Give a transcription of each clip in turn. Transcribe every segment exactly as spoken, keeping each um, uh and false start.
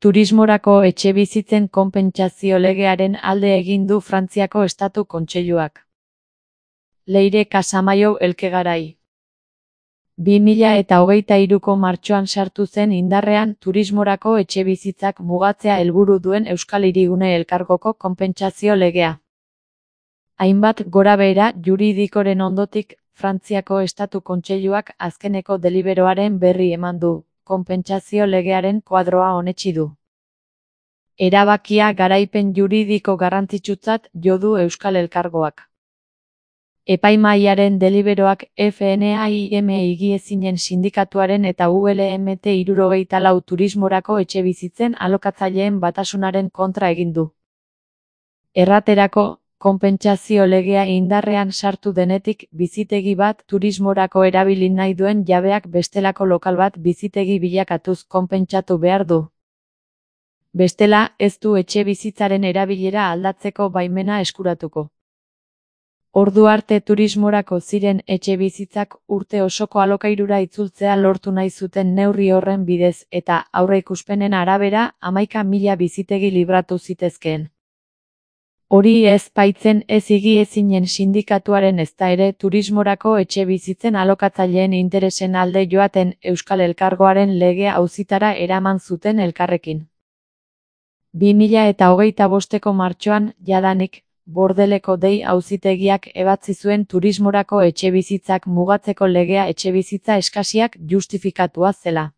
Turismorako etxebizitzen konpentsazio legearen alde egin du Frantziako Estatu Kontseiluak. Leire Casamaiu Elkegarai. bi mila eta hogeita hiruko martxoan sartu zen indarrean turismorako etxebizitzak mugatzea helburu duen Euskal Hirigune Elkargoko konpentsazio legea. Hainbat gorabehera juridikoren ondotik, Frantziako Estatu Kontseiluak azkeneko deliberoaren berri eman du, konpentsazio legearen kuadroa onetsi du. Erabakia garaipen juridiko garrantzitsutzat jo du Euskal Elkargoak. Epaimahaiaren deliberoak F N A I M higiezinen sindikatuaren eta U L M T hirurogeita lau turismorako etxebizitzen alokatzaileen batasunaren kontra egin du. Erraterako, konpentsazio legea indarrean sartu denetik bizitegi bat turismorako erabili nahi duen jabeak bestelako lokal bat bizitegi bilakatuz konpentsatu behar du. Bestela, ez du etxebizitzaren erabilera aldatzeko baimena eskuratuko. Ordu arte turismorako ziren etxebizitzak urte osoko alokairura itzultzea lortu nahi zuten neurri horren bidez eta aurreikuspenen arabera hamaika mila bizitegi libratu zitezkeen. Hori ez baitzen ez higiezinen sindikatuaren ezta ere turismorako etxebizitzen alokatzaileen interesen alde joaten Euskal Elkargoaren legea auzitara eraman zuten elkarrekin. bi mila eta hogeita bosteko martxoan, jadanik, Bordeleko dei auzitegiak ebatzi zuen turismorako etxebizitzak mugatzeko legea etxebizitza eskasiak justifikatua zela.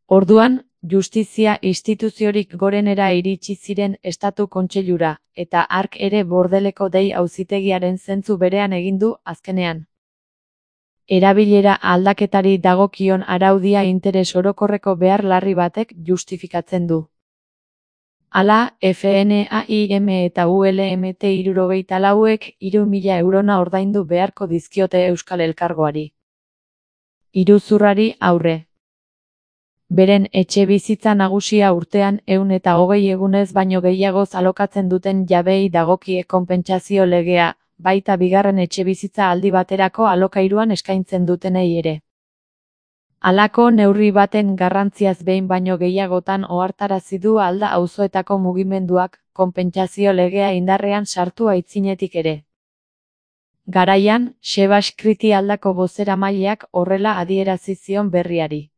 Orduan, justizia instituziorik gorenera iritsi ziren Estatu Kontseilura, eta hark ere Bordeleko dei auzitegiaren zentzu berean egin du azkenean. Erabilera aldaketari dagokion araudia interes orokorreko behar larri batek justifikatzen du. Hala, F N A I M eta U L M T hirurogeita lauek hiru mila eurona ordaindu beharko dizkiote Euskal Elkargoari. Iruzurrari aurre. Beren etxebizitza nagusia urtean ehun eta hogei egunez baino gehiagoz alokatzen duten jabeei dagokie konpentsazio legea, baita bigarren etxebizitza aldi baterako alokairuan eskaintzen dutenei ere. Halako neurri baten garrantziaz behin baino gehiagotan ohartarazi du Alda auzoetako mugimenduak, konpentsazio legea indarrean sartu aitzinetik ere. Garaian, Sebas Kriti Aldako bozeramaileak horrela adierazi zion berriari.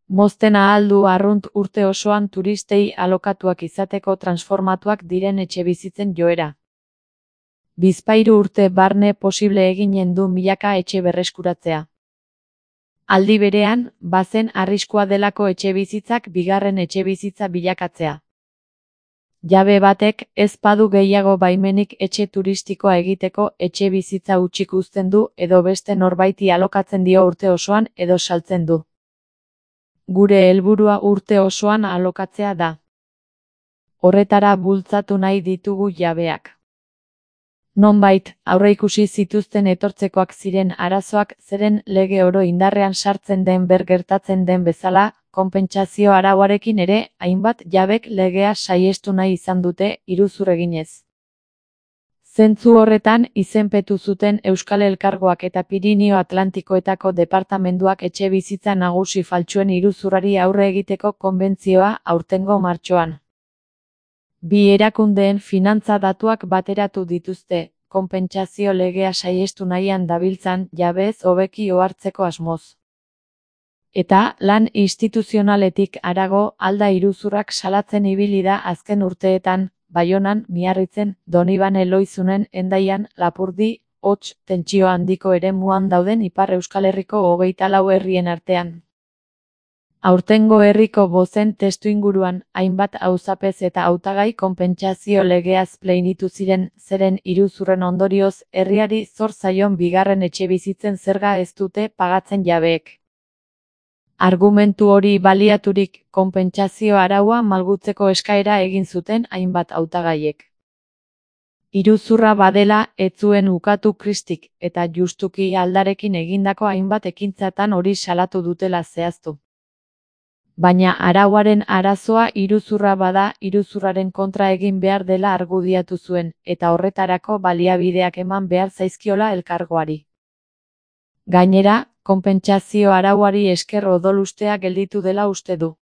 Mozten ahal du arrunt urte osoan turistei alokatuak izateko transformatuak diren etxebizitzen joera. Bizpahiru urte barne posible eginen du milaka etxe berreskuratzea. Aldi berean, bazen arriskua delako etxebizitzak bigarren etxebizitza bilakatzea. Jabe batek ez badu gehiago baimenik etxe turistikoa egiteko etxebizitza hutsik uzten du edo beste norbaiti alokatzen dio urte osoan edo saltzen du. Gure helburua urte osoan alokatzea da. Horretara bultzatu nahi ditugu jabeak. Nonbait, aurreikusi zituzten etortzekoak ziren arazoak zeren lege oro indarrean sartzen den ber gertatzen den bezala, konpentsazio arauarekin ere, hainbat jabek legea saihestu nahi izan dute iruzur eginez. Zentzu horretan izenpetu zuten Euskal Elkargoak eta Pirinio Atlantikoetako departamenduak etxebizitza nagusi faltsuen iruzurrari aurre egiteko konbentzioa aurtengo martxoan. Bi erakundeen finantza datuak bateratu dituzte, konpentsazio legea saihestu nahian dabiltzan jabez hobeki ohartzeko asmoz. Eta lan instituzionaletik harago Alda iruzurrak salatzen ibili da azken urteetan, Baionan, Miarritzen, Donibane Loizunen, Hendaian, Lapurdi, Hots, tentsio handiko eremuan dauden Ipar Euskal Herriko hogeita lau herrien artean. Aurtengo herriko bozen testuinguruan, hainbat auzapez eta hautagai konpentsazio legeaz pleinitu ziren, zeren iruzurren ondorioz, herriari zor zaion bigarren etxebizitzen zerga ez dute pagatzen jabeek. Argumentu hori baliaturik, konpentsazio araua malgutzeko eskaera egin zuten hainbat hautagaiek. Iruzurra badela, ez zuen ukatu Kristik, eta justuki Aldarekin egindako hainbat ekintzatan hori salatu dutela zehaztu. Baina arauaren arazoa iruzurra bada, iruzurraren kontra egin behar dela argudiatu zuen, eta horretarako baliabideak eman behar zaizkiola elkargoari. Gainera, konpentsazio arauari esker odolustea gelditu dela uste du.